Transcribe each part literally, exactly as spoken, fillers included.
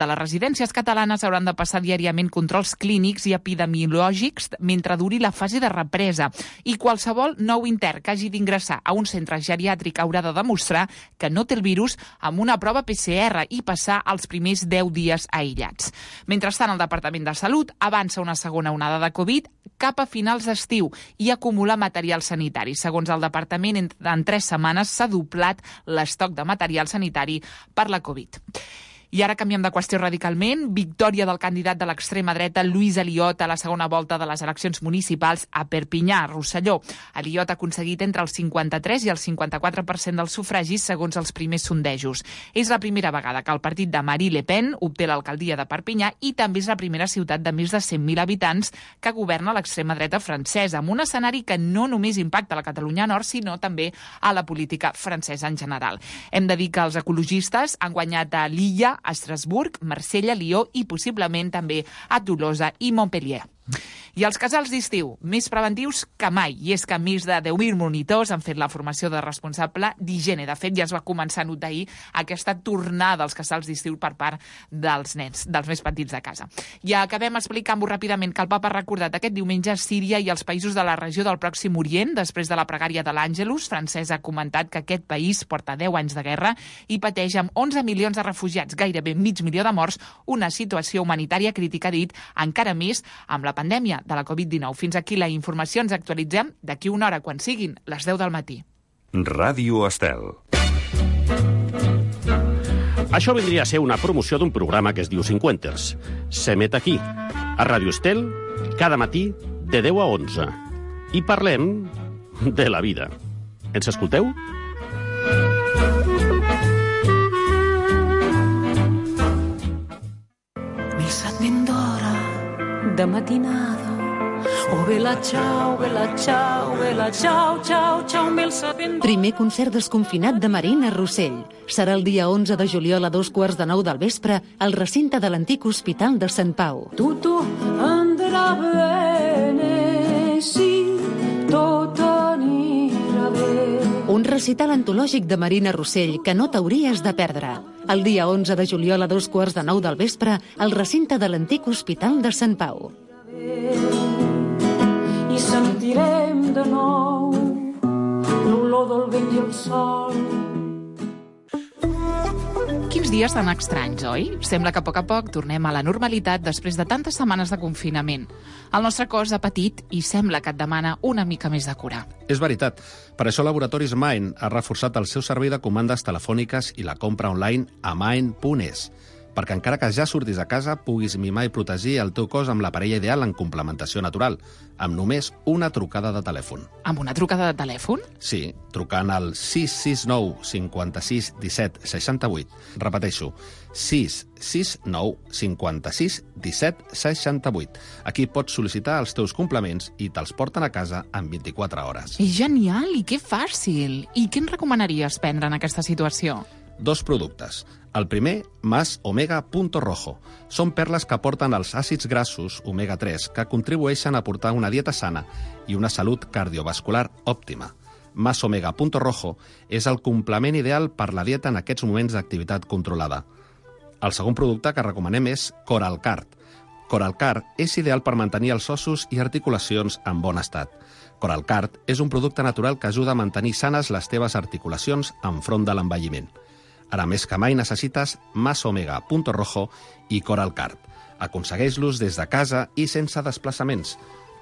De les residències catalanes hauran de passar diàriament controls clínics i epidemiològics mentre duri la fase de represa. I qualsevol nou intern que hagi d'ingressar a un centre geriàtric haurà de demostrar que no té el virus amb una prova P C R i passar els primers deu dies aïllats. Mentrestant, el Departament de Salut avança una segona onada de Covid cap a finals d'estiu i acumular material sanitari. Segons el departament, en, en tres setmanes s'ha doblat l'estoc de material sanitari per la Covid. I ara canviem de qüestió radicalment. Victòria del candidat de l'extrema dreta, Lluís Aliot, a la segona volta de les eleccions municipals a Perpinyà, Rosselló. Aliot ha aconseguit entre el cinquanta-tres i el cinquanta-quatre per cent dels sufragis, segons els primers sondejos. És la primera vegada que el partit de Marine Le Pen obté l'alcaldia de Perpinyà i també és la primera ciutat de més de cent mil habitants que governa l'extrema dreta francesa, amb un escenari que no només impacta la Catalunya Nord, sinó també a la política francesa en general. Hem de dir que els ecologistes han guanyat a Lilla, a Estrasburg, Marsella, Lió i possiblement també a Tolosa i Montpellier. I els casals d'estiu, més preventius que mai. I és que més de deu mil monitors han fet la formació de responsable d'higiene. De fet, ja es va començar a notar ahir aquesta tornada als casals d'estiu per part dels nens, dels més petits de casa. I acabem explicant-vos ràpidament que el Papa ha recordat aquest diumenge Síria i els països de la regió del Pròxim Orient. Després de la pregària de l'Àngelus, Francesc ha comentat que aquest país porta deu anys de guerra i pateix amb onze milions de refugiats, gairebé mig milió de morts, una situació humanitària crítica, dit, encara més amb la pandèmia de la Covid dinou. Fins aquí la informació. Ens actualitzem d'aquí una hora, quan siguin les deu del matí. Ràdio Estel. Això vindria a ser una promoció d'un programa que es diu Cinquenters. S'emet aquí, a Ràdio Estel, cada matí de deu a onze. I parlem de la vida. Ens escolteu? Missa d'ora de matinada. Oh, vela, ciao, vela, ciao, vela, ciao, ciao, ciao, mel sapendo. Primer concert desconfinat de Marina Rossell. Serà el dia onze de juliol a dos quarts de nou del vespre al recinte de l'antic Hospital de Sant Pau. Tutto andrà bene, sì, tot anirà bé. Un recital antològic de Marina Rossell que no t'hauries de perdre. El dia onze de juliol a dos quarts de nou del vespre al recinte de l'antic Hospital de Sant Pau. I sentirem de nou l'olor del vent i el sol. Quins dies tan estranys, oi? Sembla que a poc a poc tornem a la normalitat després de tantes setmanes de confinament. El nostre cos ha patit i sembla que et demana una mica més de cura. És veritat. Per això Laboratoris Mind ha reforçat el seu servei de comandes telefòniques i la compra online a mind punt es. Perquè encara que ja surtis a casa, puguis mimar i protegir el teu cos amb la parella ideal en complementació natural, amb només una trucada de telèfon. Amb una trucada de telèfon? Sí, trucant al sis sis nou cinquanta-sis disset seixanta-vuit. Repeteixo, sis sis nou cinquanta-sis disset seixanta-vuit. Aquí pots sol·licitar els teus complements i te'ls porten a casa en vint-i-quatre hores. És genial i que fàcil! I què ens recomanaries prendre en aquesta situació? Dos productes. El primer, Mas Omega Punto Rojo. Són perles que aporten els àcids grassos omega tres que contribueixen a portar una dieta sana i una salut cardiovascular òptima. Mas Omega Punto Rojo és el complement ideal per la dieta en aquests moments d'activitat controlada. El segon producte que recomanem és Coralcard. Coralcard és ideal per mantenir els ossos i articulacions en bon estat. Coralcard és un producte natural que ajuda a mantenir sanes les teves articulacions enfront de l'envelliment. Ara més que mai necessites Mas Omega Punto Rojo i Coralcard. Aconsegueix-los des de casa i sense desplaçaments.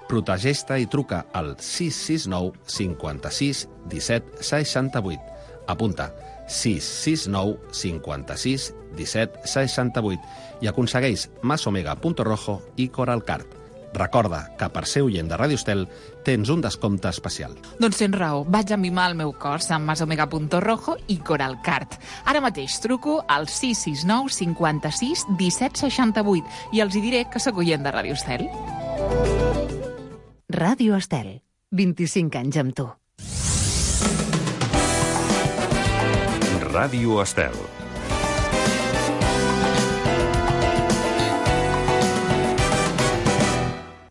Protegeix-te i truca al sis sis nou cinquanta-sis disset seixanta-vuit. Apunta, sis sis nou cinquanta-sis disset seixanta-vuit i aconsegueix Mas Omega Punto Rojo i Coralcard. Recorda que per ser oient de Ràdio Estel tens un descompte especial. Doncs tens raó, vaig a mimar el meu cos amb Mas Omega Punto Rojo i Coralcard. Ara mateix truco al sis sis nou cinquanta-sis disset seixanta-vuit i els hi diré que sóc oient de Ràdio Estel. Ràdio Estel, vint-i-cinc anys amb tu. Ràdio Estel.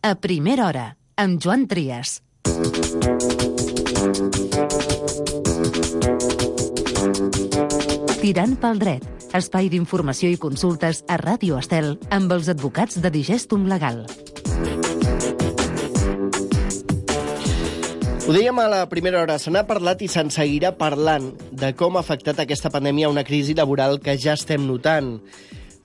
A primera hora, amb Joan Trias. Tirant pel dret, Espai d'informació i consultes a Ràdio Estel amb els advocats de Digestum Legal. Ho dèiem a la primera hora, se n'ha parlat i se'n seguirà parlant de com ha afectat aquesta pandèmia una crisi laboral que ja estem notant.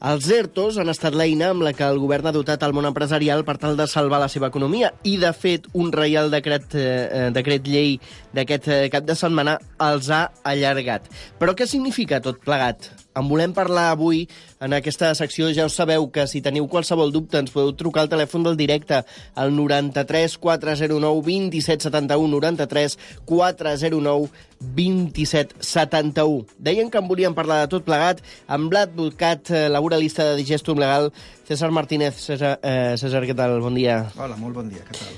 Els ERTOs han estat l'eina amb la que el govern ha dotat el món empresarial per tal de salvar la seva economia i, de fet, un reial decret, eh, decret llei d'aquest eh, cap de setmana els ha allargat. Però què significa tot plegat? En volem parlar avui en aquesta secció. Ja us sabeu que si teniu qualsevol dubte ens podeu trucar al telèfon del directe al noranta-tres quatre zero nou vint set setanta-u, noranta-tres quatre zero nou vint set setanta-u. Deien que en volíem parlar de tot plegat amb l'advocat laboralista de Digestum Legal, César Martínez. César, eh, César, què tal? Bon dia. Hola, molt bon dia, què tal?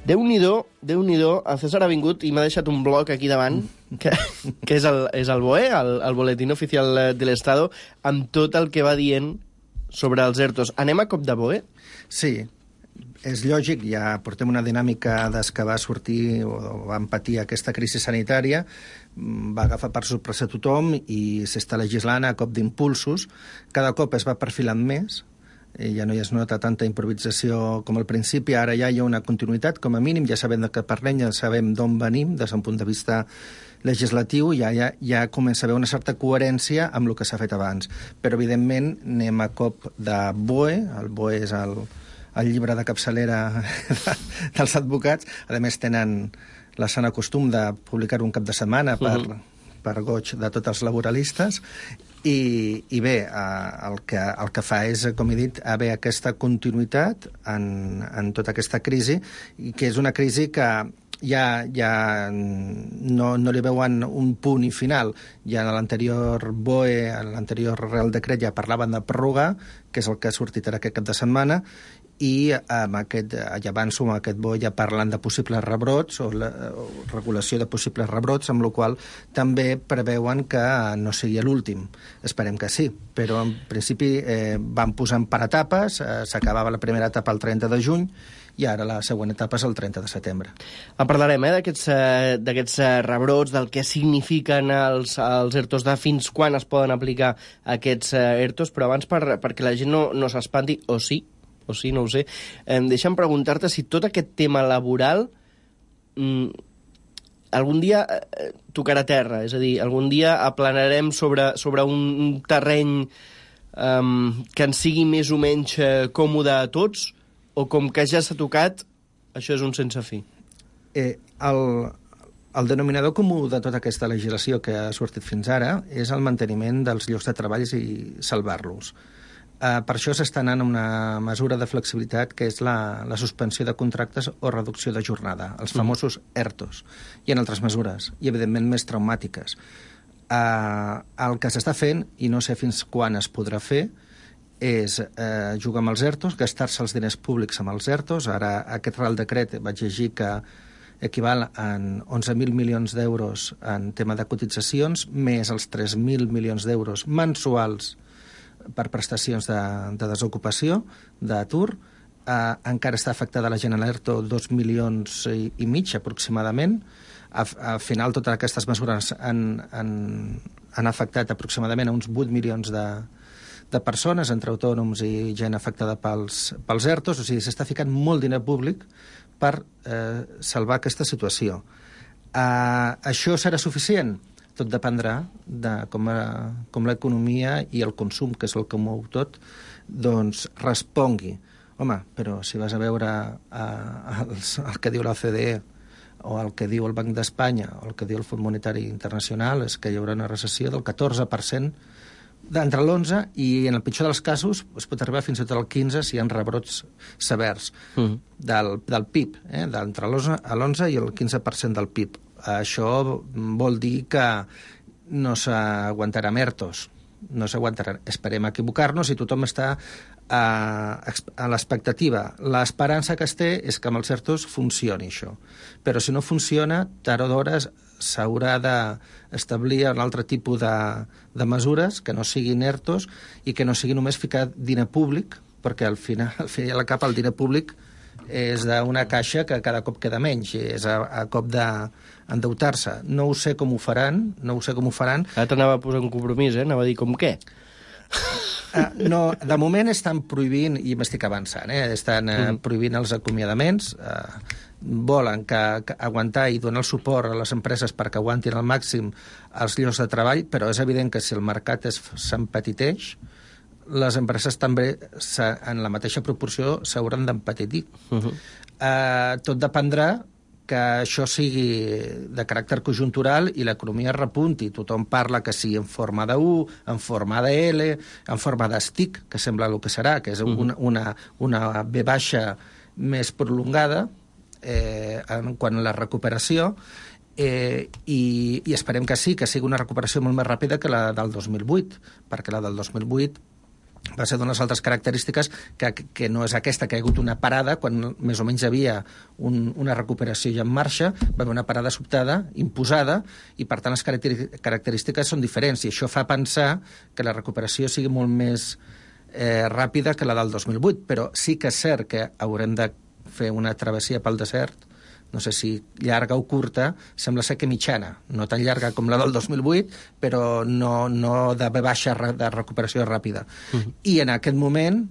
Déu-n'hi-do, Déu-n'hi-do, el César ha vingut i m'ha deixat un bloc aquí davant, que, que és, el, és el B O E, el, el Boletín Oficial de l'Estado, amb tot el que va dient sobre els ERTOs. Anem a cop de B O E? Sí, és lògic, ja portem una dinàmica des que va sortir o va patir aquesta crisi sanitària, va agafar per sorpresa tothom i s'està legislant a cop d'impulsos. Cada cop es va perfilant més, ja no hi es nota tanta improvisació com al principi, ara ja hi ha una continuïtat, com a mínim, ja sabem de què parlem, ja sabem d'on venim, des d'un punt de vista legislatiu, ja, ja, ja comença a haver una certa coherència amb el que s'ha fet abans. Però, evidentment, anem a cop de B O E, el B O E és el, el llibre de capçalera dels advocats, a més tenen la sana costum de publicar un cap de setmana per, uh-huh. per goig de tots els laboralistes. I, i bé, eh, el, que, el que fa és, com he dit, haver aquesta continuïtat en, en tota aquesta crisi, i que és una crisi que ja, ja no, no li veuen un punt i final. Ja en l'anterior B O E, en l'anterior Real Decret, ja parlaven de pròrroga, que és el que ha sortit ara aquest cap de setmana, i amb aquest, ja avanço, amb aquest B O E ja parlen de possibles rebrots o, la, o regulació de possibles rebrots, amb la qual també preveuen que no sigui l'últim. Esperem que sí, però en principi eh, van posant per etapes, eh, s'acabava la primera etapa el trenta de juny i ara la següent etapa és el trenta de setembre. En parlarem eh, d'aquests eh, d'aquests eh, rebrots, del que signifiquen els, els ERTOs, de fins quan es poden aplicar aquests eh, ERTOs, però abans per, perquè la gent no, no s'espanti, o sí, o sí, no ho sé, eh, deixa'm preguntar-te si tot aquest tema laboral mm, algun dia eh, tocarà terra, és a dir, algun dia aplanarem sobre, sobre un terreny eh, que ens sigui més o menys eh, còmode a tots, o com que ja s'ha tocat, això és un sense fi? Eh, el, el denominador comú de tota aquesta legislació que ha sortit fins ara és el manteniment dels llocs de treball i salvar-los. Uh, per això s'està anant a una mesura de flexibilitat que és la, la suspensió de contractes o reducció de jornada, els famosos ERTOs. Hi ha altres mesures, i evidentment més traumàtiques. Uh, el que s'està fent, i no sé fins quan es podrà fer, és eh, jugar amb els ERTOs, gastar-se els diners públics amb els ERTOs. Ara aquest Real Decret vaig llegir que equival a onze mil milions d'euros en tema de cotitzacions, més els tres mil milions d'euros mensuals per prestacions de, de desocupació, d'atur. Eh, encara està afectada la gent a l'ERTO dos milions i, i mig, aproximadament. Al final, totes aquestes mesures han, han, han afectat aproximadament a uns vuit milions de, de persones, entre autònoms i gent afectada pels, pels ERTOs. O sigui, s'està ficant molt diner públic per eh, salvar aquesta situació. Eh, això serà suficient? Tot dependrà de com, a, com l'economia i el consum, que és el que mou tot, doncs respongui. Home, però si vas a veure eh, el, el que diu l'O C D E o el que diu el Banc d'Espanya o el que diu el Fons Monetari Internacional, és que hi haurà una recessió del catorze per cent d'entre l'onze, i en el pitjor dels casos es pot arribar fins i tot al quinze si hi ha rebrots severs mm. del, del P I B, eh? d'entre l'onze i el quinze per cent del P I B. Això vol dir que no s'aguantarà ERTOs, no s'aguantarà. Esperem equivocar-nos i tothom està a, a l'expectativa. L'esperança que es té és que amb els ERTOs funcioni això. Però si no funciona, tard o d'hora s'haurà d'establir un altre tipus de, de mesures que no siguin ERTOs i que no sigui només ficar diner públic, perquè al final, al final i al cap el diner públic és d'una caixa que cada cop queda menys, és a, a cop d'endeutar-se. No ho sé com ho faran, no ho sé com ho faran. Ara t'anava a posar un compromís, eh? Anava a dir com què? Uh, no, de moment estan prohibint, i m'estic avançant, eh? estan uh, mm. prohibint els acomiadaments, uh, volen que, que aguantar i donar el suport a les empreses perquè aguantin al màxim els llocs de treball, però és evident que si el mercat s'empetiteix, les empreses també, en la mateixa proporció, s'hauran d'empetitir. Uh-huh. Uh, tot dependrà que això sigui de caràcter conjuntural i l'economia repunti. Tothom parla que sigui en forma de U, en forma de L, en forma d'estic, que sembla el que serà, que és una, una, una V baixa més prolongada eh, en quant a la recuperació, eh, i, i esperem que sí, que sigui una recuperació molt més ràpida que la del dos mil vuit, perquè la del dos mil vuit va ser d'unes altres característiques que, que no és aquesta, que hi ha hagut una parada quan més o menys hi havia un, una recuperació ja en marxa, va haver una parada sobtada, imposada, i per tant les característiques són diferents, i això fa pensar que la recuperació sigui molt més eh, ràpida que la del dos mil vuit, però sí que és cert que haurem de fer una travessia pel desert, no sé si llarga o curta, sembla ser que mitjana, no tan llarga com la del dos mil vuit, però no, no de baixa de recuperació ràpida. Uh-huh. I en aquest moment,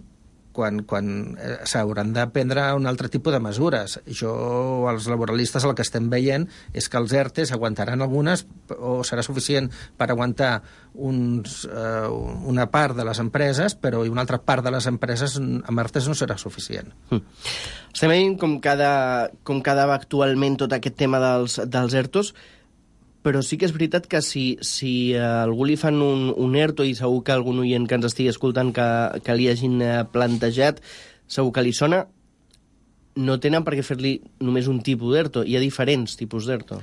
quan, quan eh, s'hauran de prendre un altre tipus de mesures. Jo, els laboralistes, el que estem veient és que els ERTEs aguantaran algunes, o serà suficient per aguantar uns, eh, una part de les empreses, però una altra part de les empreses amb ERTEs no serà suficient. Mm. Estem veient com cada, com quedava actualment tot aquest tema dels, dels ERTOs, però sí que és veritat que si, si a algú li fan un, un ERTO, i segur que algun oient que ens estigui escoltant que, que li hagin plantejat, segur que li sona, no tenen per què fer-li només un tipus d'ERTO, hi ha diferents tipus d'ERTO.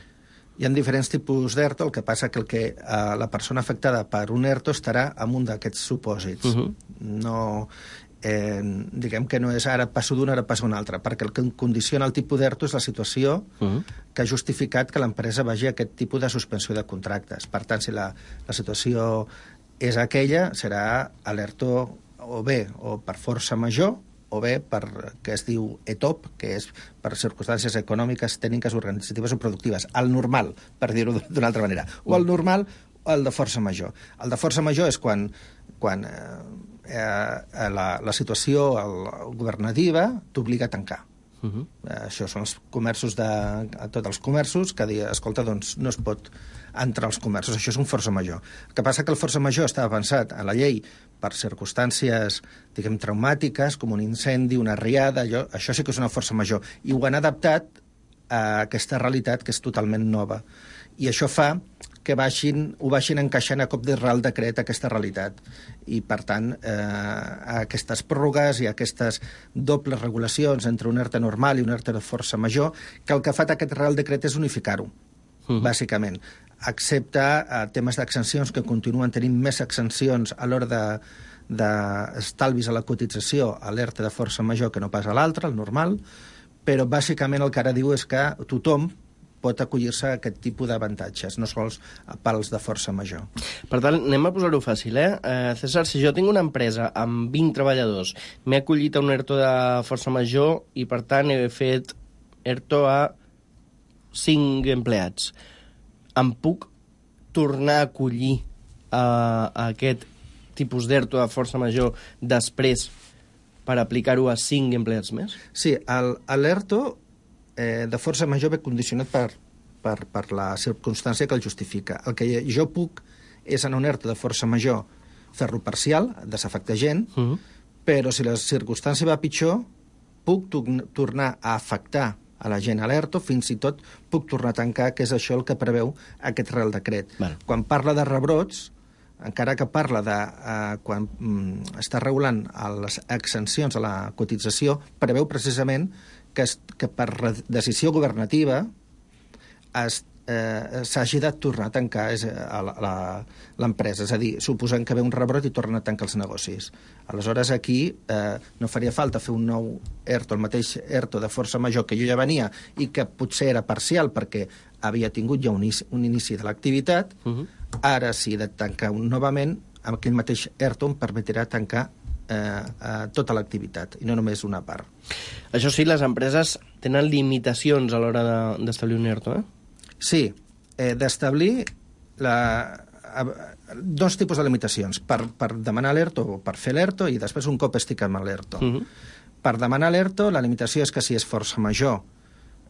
Hi ha diferents tipus d'ERTO, el que passa que, el que eh, la persona afectada per un ERTO estarà en un d'aquests supòsits. Uh-huh. No... Eh, diguem que no és ara passo d'un, ara passo un altre, perquè el que condiciona el tipus d'ERTO és la situació uh-huh. que ha justificat que l'empresa vagi a aquest tipus de suspensió de contractes. Per tant, si la, la situació és aquella, serà l'ERTO o bé o per força major o bé per que es diu E T O P, que és per circumstàncies econòmiques, tècniques, organitzatives o productives. El normal, per dir-ho d'una altra manera. O el normal o el de força major. El de força major és quan, quan eh, eh, la, la situació el, governativa t'obliga a tancar. Uh-huh. Eh, això són els comerços de... A tots els comerços que diuen, escolta, doncs no es pot entrar als comerços. Això és un força major. El que passa que el força major estava pensat a la llei per circumstàncies, diguem, traumàtiques, com un incendi, una riada, allò, això sí que és una força major. I ho han adaptat a aquesta realitat que és totalment nova. I això fa que vagin, ho vagin encaixant a cop de Real Decret aquesta realitat. I, per tant, eh, aquestes pròrrogues i aquestes dobles regulacions entre un ERTE normal i un ERTE de força major, que el que ha fet aquest Real Decret és unificar-ho, uh-huh. bàsicament. Excepte eh, temes d'exencions, que continuen tenint més exencions a l'hora de d'estalvis a la cotització a l'ERTE de força major que no pas a l'altre, el normal, però bàsicament el que ara diu és que tothom pot acollir-se a aquest tipus d'avantatges, no sols pels de força major. Per tant, anem a posar-ho fàcil, eh? eh? César, si jo tinc una empresa amb vint treballadors, m'he acollit a un ERTO de força major i, per tant, he fet ERTO a cinc empleats. Em puc tornar a acollir a, a aquest tipus d'ERTO de força major després per aplicar-ho a cinc empleats més? Sí, l'ERTO eh, de força major ve condicionat per, per, per la circumstància que el justifica. El que jo puc és en un ERTO de força major fer-lo parcial, desafectar gent, uh-huh. però si la circumstància va pitjor, puc tornar a afectar a la gent a l'ERTO, fins i tot puc tornar a tancar, que és això el que preveu aquest Real Decret. Bueno. Quan parla de rebrots, encara que parla de eh, quan mm, està regulant les exencions a la cotització, preveu precisament que, es, que per decisió governativa es, eh, s'hagi de tornar a tancar l'empresa. És a dir, suposant que ve un rebrot i tornen a tancar els negocis. Aleshores, aquí eh, no faria falta fer un nou ERTO, el mateix ERTO de força major que jo ja venia i que potser era parcial perquè havia tingut ja un inici, un inici de l'activitat. Uh-huh. Ara, si he de tancar un novament, amb aquell mateix ERTO em permetrà tancar eh, eh, tota l'activitat, i no només una part. Això sí, les empreses tenen limitacions a l'hora de, d'establir un ERTO, eh? Sí, eh, d'establir la, dos tipus de limitacions, per, per demanar l'ERTO o per fer l'ERTO, i després un cop estic amb l'ERTO. Uh-huh. Per demanar l'ERTO, la limitació és que si és força major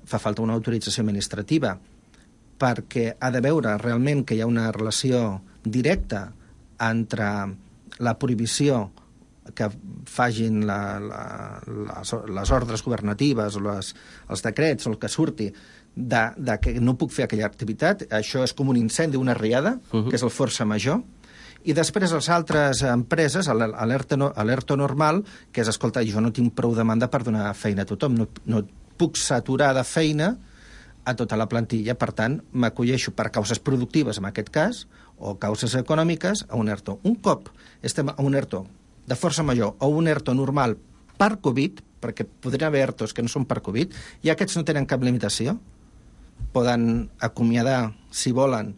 fa falta una autorització administrativa, perquè ha de veure realment que hi ha una relació directa entre la prohibició que fagin la, la, les, les ordres governatives o les, els decrets o el que surti de, de que no puc fer aquella activitat. Això és com un incendi, una riada, uh-huh. que és el força major. I després les altres empreses, l'ERTO no, normal, que és, escolta, jo no tinc prou demanda per donar feina a tothom, no, no puc saturar de feina a tota la plantilla, per tant, m'acolleixo per causes productives, en aquest cas, o causes econòmiques, a un ERTO. Un cop estem a un ERTO de força major o un ERTO normal per Covid, perquè podrien haver ERTOs que no són per Covid, i aquests no tenen cap limitació, poden acomiadar, si volen,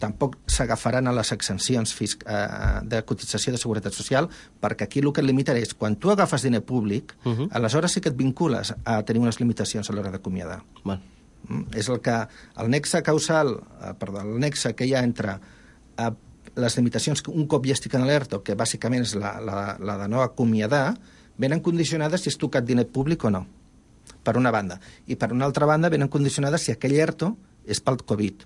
tampoc s'agafaran a les exempcions eh, de cotització de seguretat social, perquè aquí el que et limitarà és, quan tu agafes diner públic, uh-huh. aleshores sí que et vincules a tenir unes limitacions a l'hora d'acomiadar. Val. Mm? És el que el nexe causal, eh, perdó, el nexe que hi ha entre eh, les limitacions que un cop ja estic en l'ERTO, que bàsicament és la, la, la de no acomiadar, venen condicionades si has tocat diner públic o no, per una banda. I per una altra banda venen condicionades si aquell ERTO és pel Covid.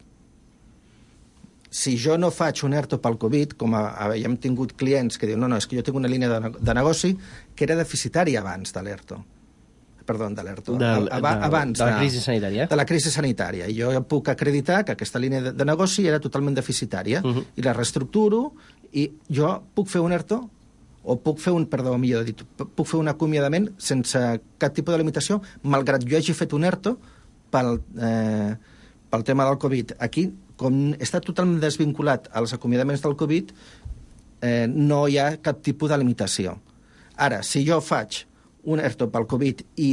Si jo no faig un ERTO pel Covid, com a, a, ja hem tingut clients que diuen no, no, és que jo tinc una línia de, de negoci que era deficitària abans de l'ERTO. Perdó, de l'ERTO. Del, abans de, de la crisi sanitària. De la crisi sanitària. I jo puc acreditar que aquesta línia de, de negoci era totalment deficitària, uh-huh. i la reestructuro, i jo puc fer un ERTO, o puc fer un, perdó, millor dit, puc fer un acomiadament sense cap tipus de limitació, malgrat jo hagi fet un ERTO pel, eh, pel tema del Covid. Aquí, com està totalment desvinculat als acomiadaments del Covid, eh, no hi ha cap tipus de limitació. Ara, si jo faig un ERTO pel Covid i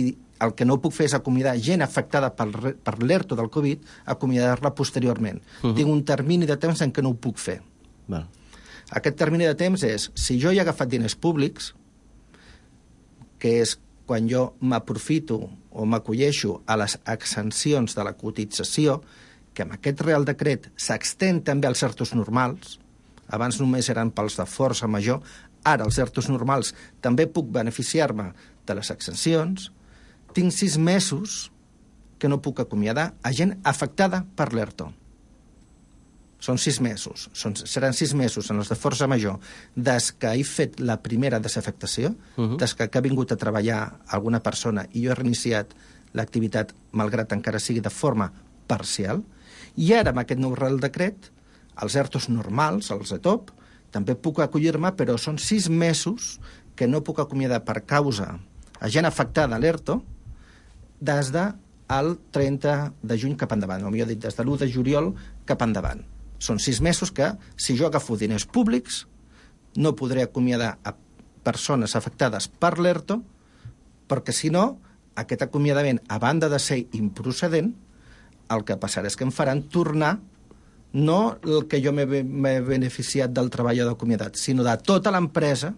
el que no puc fer és acomiadar gent afectada per, per l'ERTO del Covid, acomiadar-la posteriorment. Uh-huh. Tinc un termini de temps en què no ho puc fer. Val. Aquest termini de temps és, si jo he agafat diners públics, que és quan jo m'aprofito o m'acolleixo a les exempcions de la cotització, que amb aquest Real Decret s'extén també als ERTOs normals, abans només eren pels de força major, ara els ERTOs normals també puc beneficiar-me de les exempcions, tinc sis mesos que no puc acomiadar a gent afectada per l'ERTO. Són sis mesos, són, seran sis mesos en els de força major des que he fet la primera desafectació, uh-huh. des que ha vingut a treballar alguna persona i jo he reiniciat l'activitat, malgrat encara sigui de forma parcial, i ara amb aquest nou Real Decret, els ERTOs normals, els de top, també puc acollir-me, però són sis mesos que no puc acomiadar per causa a gent afectada a l'ERTO des del trenta de juny cap endavant, o millor dit, des de l'u de juliol cap endavant. Són sis mesos que, si jo agafo diners públics, no podré acomiadar a persones afectades per l'ERTO, perquè, si no, aquest acomiadament, a banda de ser improcedent, el que passarà és que em faran tornar no el que jo m'he beneficiat del treballador acomiadat, sinó de tota l'empresa,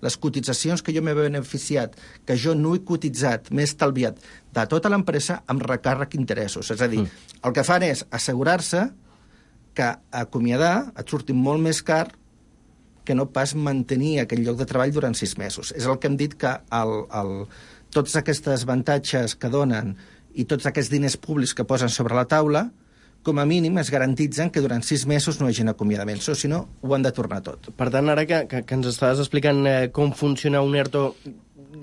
les cotitzacions que jo m'he beneficiat, que jo no he cotitzat, m'he estalviat, de tota l'empresa amb recàrrec interessos. És a dir, mm. el que fan és assegurar-se que acomiadar et surti molt més car que no pas mantenir aquell lloc de treball durant sis mesos. És el que hem dit, que el, el, tots aquests avantatges que donen i tots aquests diners públics que posen sobre la taula, com a mínim es garantitzen que durant sis mesos no hi hagi acomiadaments, o si no, ho han de tornar tot. Per tant, ara que, que, que ens estaves explicant eh, com funciona un ERTO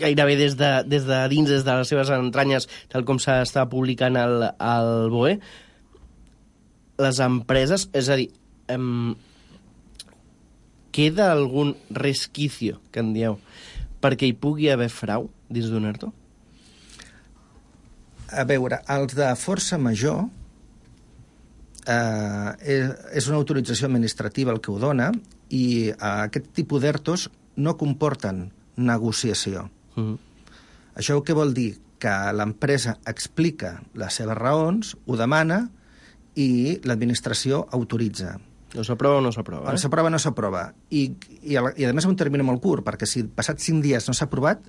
gairebé des de, des de dins, des de les seves entranyes, tal com s'està publicant al, al B O E, les empreses, és a dir, em, queda algun resquicio, que en dieu, perquè hi pugui haver frau dins d'un ERTO? A veure, els de força major, Uh, és, és una autorització administrativa el que ho dona, i uh, aquest tipus d'ERTOs no comporten negociació. Uh-huh. Això què vol dir? Que l'empresa explica les seves raons, ho demana, i l'administració autoritza. No s'aprova o no s'aprova, eh? S'aprova o no s'aprova. I, i, a, I a més un termini molt curt, perquè si passats cinc dies no s'ha aprovat,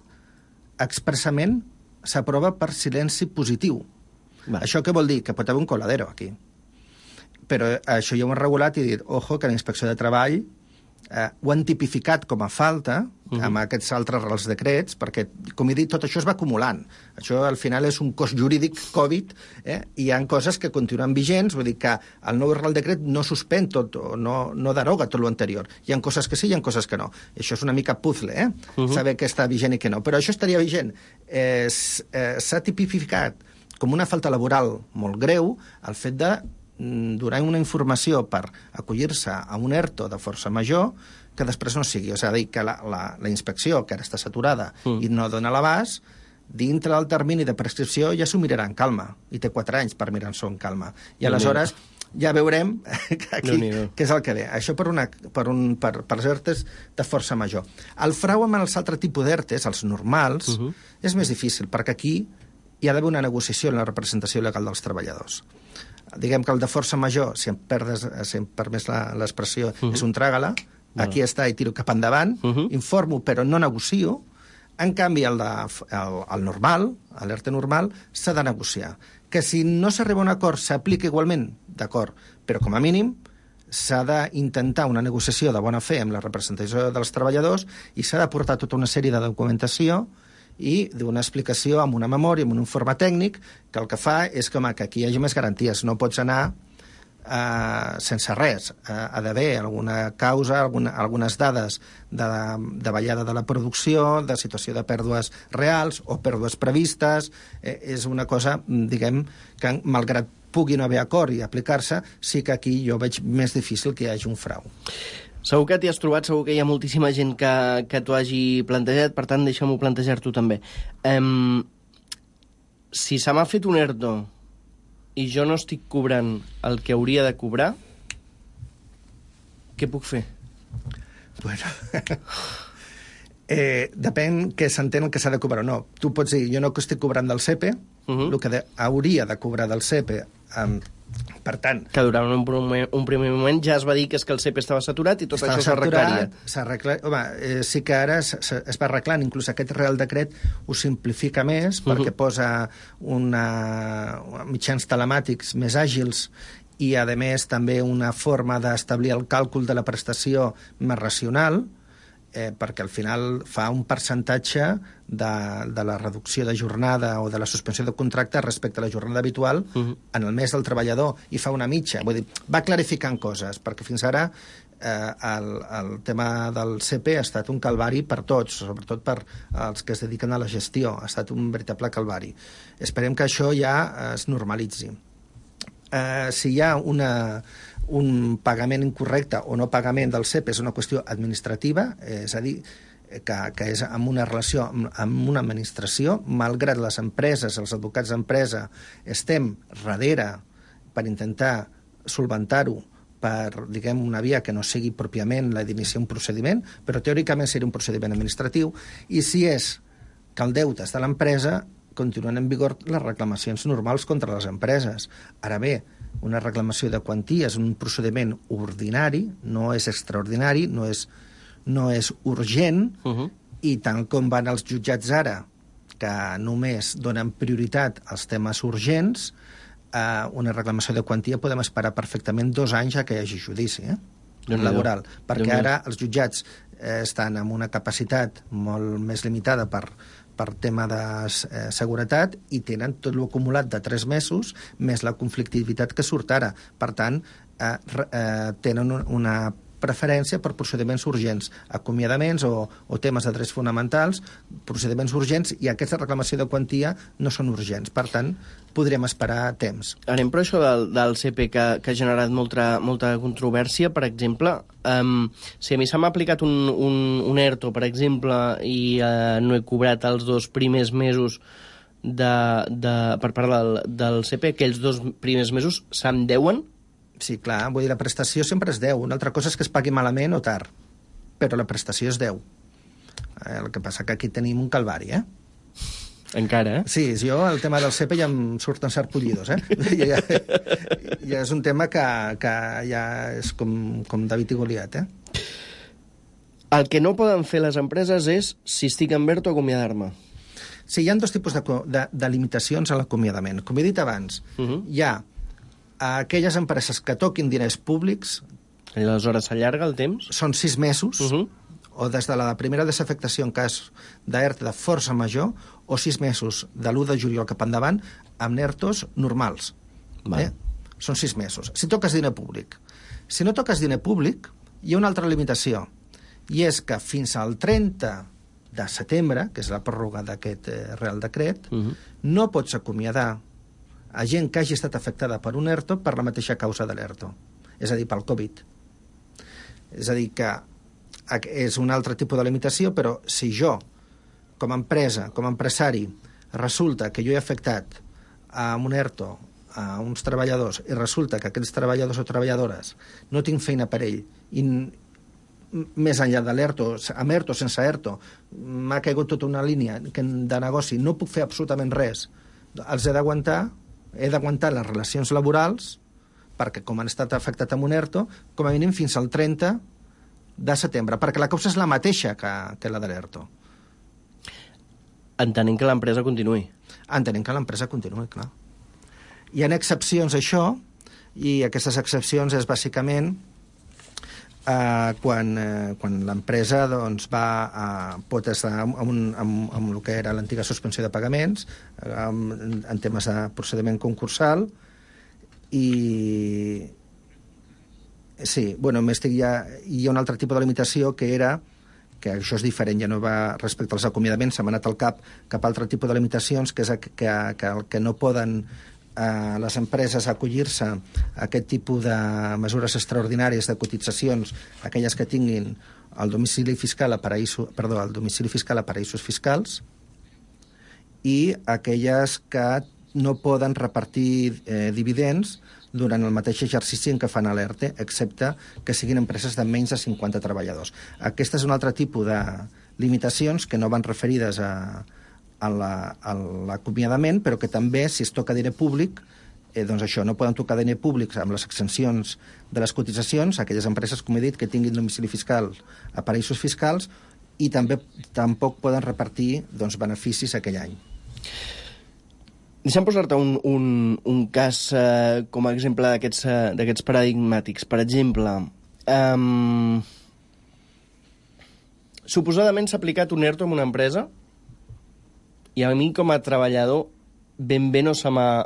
expressament s'aprova per silenci positiu. Va. Això què vol dir? Que pot haver un coladero aquí. però això ja ho han regulat i dit, ojo, que la Inspecció de Treball eh, ho han tipificat com a falta uh-huh. amb aquests altres reals decrets, perquè, com he dit, tot això es va acumulant. Això, al final, és un cos jurídic Covid, eh? I hi ha coses que continuen vigents, vull dir que el nou real decret no suspèn tot, o no, no deroga tot l'anterior. Hi ha coses que sí, hi ha coses que no. I això és una mica puzzle, eh? Uh-huh. Saber què està vigent i què no. Però això estaria vigent. Eh, s'ha tipificat com una falta laboral molt greu el fet de donar una informació per acollir-se a un ERTO de força major que després no sigui. O sigui, que la, la, la inspecció, que ara està saturada mm. i no dona l'abast, dintre del termini de prescripció ja s'ho mirarà en calma. I té quatre anys per mirar-s'ho en calma. I aleshores ja veurem aquí què és el que ve. Això per, una, per, un, per, per els ERTEs de força major. El frau amb els altres tipus d'ERTEs, els normals, uh -huh. és més difícil, perquè aquí hi ha d'haver una negociació en la representació legal dels treballadors. Diguem que el de força major, si em perdes, si em permès l'expressió, uh -huh. és un tràgala, aquí està i tiro cap endavant, uh -huh. informo però no negocio. En canvi, el, de, el, el normal, l'ERTE normal, s'ha de negociar. Que si no s'arriba a un acord s'aplica igualment, d'acord, però com a mínim s'ha d'intentar una negociació de bona fe amb la representació dels treballadors i s'ha de portar tota una sèrie de documentació i d'una explicació amb una memòria, amb un informe tècnic, que el que fa és que, home, que aquí hi hagi més garanties. No pots anar eh, sense res. Eh, ha d'haver alguna causa, alguna, algunes dades de, de ballada de la producció, de situació de pèrdues reals o pèrdues previstes. Eh, és una cosa, diguem, que malgrat pugui no haver acord i aplicar-se, sí que aquí jo veig més difícil que hi hagi un frau. Segur que t'hi has trobat, segur que hi ha moltíssima gent que, que t'ho hagi plantejat, per tant, deixa'm-ho plantejar-t'ho també. Um, si se m'ha fet un ERTO i jo no estic cobrant el que hauria de cobrar, què puc fer? Bueno, eh, depèn que s'entén el que s'ha de cobrar o no. Tu pots dir, jo no estic cobrant del C E P E, uh-huh. el que de, hauria de cobrar del C E P E, um, per tant... Que durant un primer, un primer moment ja es va dir que és que el C E P E estava saturat i tot això s'arreglaria. S'arregla... Home, eh, sí que ara es, es va arreglant, inclús aquest Real Decret ho simplifica més, uh-huh. perquè posa una, mitjans telemàtics més àgils i, a més, també una forma d'establir el càlcul de la prestació més racional, eh, perquè al final fa un percentatge de, de la reducció de jornada o de la suspensió de contracte respecte a la jornada habitual uh-huh. en el mes del treballador, i fa una mitja. Vull dir, va clarificant coses, perquè fins ara eh, el, el tema del C E P E ha estat un calvari per tots, sobretot per als que es dediquen a la gestió. Ha estat un veritable calvari. Esperem que això ja es normalitzi. Eh, si hi ha una... un pagament incorrecte o no pagament del C E P E és una qüestió administrativa, és a dir, que, que és amb una relació amb, amb una administració, malgrat les empreses, els advocats d'empresa, estem darrere per intentar solventar-ho per, diguem, una via que no sigui pròpiament la d'iniciar un procediment, però teòricament seria un procediment administratiu, i si és que el deute és de l'empresa, continuen en vigor les reclamacions normals contra les empreses. Ara bé, una reclamació de quantia és un procediment ordinari, no és extraordinari, no és, no és urgent, uh-huh. i tant com van els jutjats ara, que només donen prioritat als temes urgents, eh, una reclamació de quantia podem esperar perfectament dos anys a que hi hagi judici, eh? laboral, perquè ara els jutjats eh, estan amb una capacitat molt més limitada per per tema de eh, seguretat, i tenen tot l'acumulat de tres mesos més la conflictivitat que surt ara. Per tant, eh, eh, tenen una preferència per procediments urgents, acomiadaments o, o temes de drets fonamentals, procediments urgents, i aquesta reclamació de quantia no són urgents. Per tant, podrem esperar temps. Anem per això del, del C E P E que, que ha generat molta, molta controvèrsia. Per exemple, um, si a mi se m'ha aplicat un, un, un ERTO, per exemple, i uh, no he cobrat els dos primers mesos de, de, per part del, del C E P E, aquells dos primers mesos se'm deuen? Sí, clar, vull dir, la prestació sempre es deu. Una altra cosa és que es pagui malament o tard, però la prestació es deu. Eh, el que passa que aquí tenim un calvari, eh? Encara, eh? Sí, jo el tema del C E P E ja em surten sarpullidos, eh? ja, ja és un tema que, que ja és com, com David i Goliat, eh? El que no poden fer les empreses és, si estic en ERTO, acomiadar-me. Sí, hi ha dos tipus de, de, de limitacions a l'acomiadament. Com he dit abans, uh-huh. hi ha aquelles empreses que toquin diners públics... I aleshores s'allarga el temps? Són sis mesos, uh -huh. o des de la primera desafectació en cas d'E R T de força major, o sis mesos de l'u de juliol cap endavant, amb ERTOs normals. Eh? Són sis mesos. Si toques diner públic. Si no toques diner públic, hi ha una altra limitació, i és que fins al trenta de setembre, que és la pròrroga d'aquest eh, Real Decret, uh -huh. no pots acomiadar a gent que hagi estat afectada per un ERTO per la mateixa causa de l'ERTO, és a dir, pel Covid. És a dir, que és un altre tipus de limitació, però si jo, com a empresa, com a empresari, resulta que jo he afectat amb un ERTO a uns treballadors i resulta que aquests treballadors o treballadores no tinc feina per ell i més enllà de l'ERTO, amb ERTO, sense ERTO, m'ha caigut tota una línia de negoci, no puc fer absolutament res, els he d'aguantar, he d'aguantar les relacions laborals, perquè com han estat afectat amb un ERTO, com a mínim fins al trenta de setembre, perquè la causa és la mateixa que, que la de l'ERTO. Entenent que l'empresa continuï. Entenent que l'empresa continuï, clar. Hi ha excepcions a això, i aquestes excepcions és bàsicament eh, quan, eh, quan l'empresa doncs, va a, pot estar amb, amb, amb, amb el que era l'antiga suspensió de pagaments, amb, en temes de procediment concursal, i sí, bueno, m'estic ja... Hi ha un altre tipus de limitació que era que això és diferent, ja no va respecte als acomiadaments, s'ha anat al cap cap a altre tipus de limitacions, que és que, que, que, que no poden eh, les empreses acollir-se a aquest tipus de mesures extraordinàries de cotitzacions, aquelles que tinguin el domicili fiscal a paraïsos, perdó, el domicili fiscal a paraïsos fiscals, i aquelles que no poden repartir eh, dividends durant el mateix exercici en què fan l'ERTE, excepte que siguin empreses de menys de cinquanta treballadors. Aquest és un altre tipus de limitacions que no van referides a, a l'acomiadament, però que també, si es toca diner públic, eh, doncs això, no poden tocar diner públic amb les exempcions de les cotitzacions, aquelles empreses, com he dit, que tinguin domicili fiscal a paraïsos fiscals, i també tampoc poden repartir doncs, beneficis aquell any. Deixa'm posar-te un, un, un cas eh, com a exemple d'aquests uh, paradigmàtics. Per exemple, um, suposadament s'ha aplicat un ERTO en una empresa i a mi com a treballador ben bé no se m'ha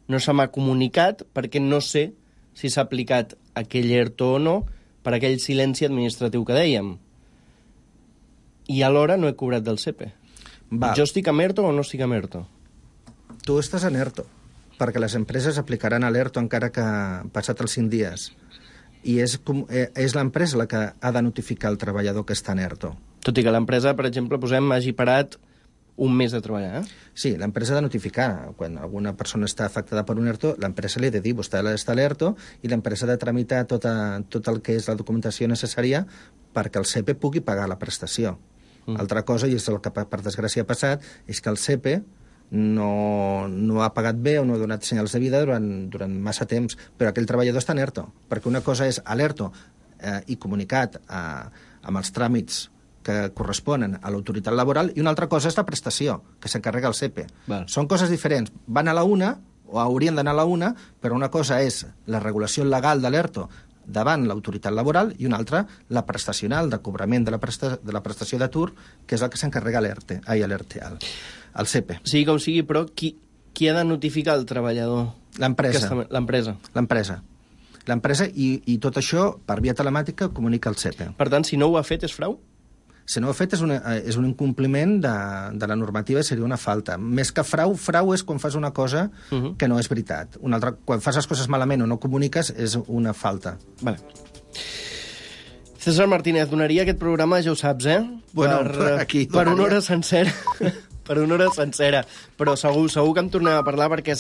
no se m'ha comunicat perquè no sé si s'ha aplicat aquell ERTO o no per aquell silenci administratiu que dèiem. I alhora no he cobrat del S E P E. Val. Jo estic amb ERTO o no estic amb ERTO? Tu estàs en ERTO, perquè les empreses aplicaran a l'ERTO encara que passat els cinc dies. I és, és l'empresa la que ha de notificar el treballador que està en ERTO. Tot i que l'empresa, per exemple, posem, hagi parat un mes de treballar, eh? Sí, l'empresa ha de notificar. Quan alguna persona està afectada per un ERTO, l'empresa li ha de dir, vostè està a l'ERTO, i l'empresa ha de tramitar tota, tot el que és la documentació necessària perquè el S E P E pugui pagar la prestació. Mm. Altra cosa, i és el que per desgràcia ha passat, és que el S E P E no, no ha pagat bé o no ha donat senyals de vida durant, durant massa temps, però aquell treballador està en ERTO, perquè una cosa és a l'ERTO eh, i comunicat a, amb els tràmits que corresponen a l'autoritat laboral, i una altra cosa és la prestació, que s'encarrega el S E P E. Val. Són coses diferents. Van a la una, o haurien d'anar a la una, però una cosa és la regulació legal de l'ERTO davant l'autoritat laboral i una altra la prestacional de cobrament de la, presta, de la prestació d'atur, que és el que s'encarrega l'ERTE, ai, l'ERTE, al, al S E P E. Sigui com sigui, però qui, qui ha de notificar el treballador? L'empresa. L'empresa. L'empresa. L'empresa, i, i tot això, per via telemàtica, comunica el S E P E. Per tant, si no ho ha fet, és frau? Si no ho ha fet, és, una, és un incompliment de, de la normativa i seria una falta. Més que frau, frau és quan fas una cosa uh -huh. que no és veritat. Una altra, quan fas les coses malament o no comuniques, és una falta. Vale. César Martínez, donaria aquest programa, ja ho saps, eh? Bueno, per, aquí per una hora sencera. per una hora sencera. Però segur, segur que em tornem a parlar perquè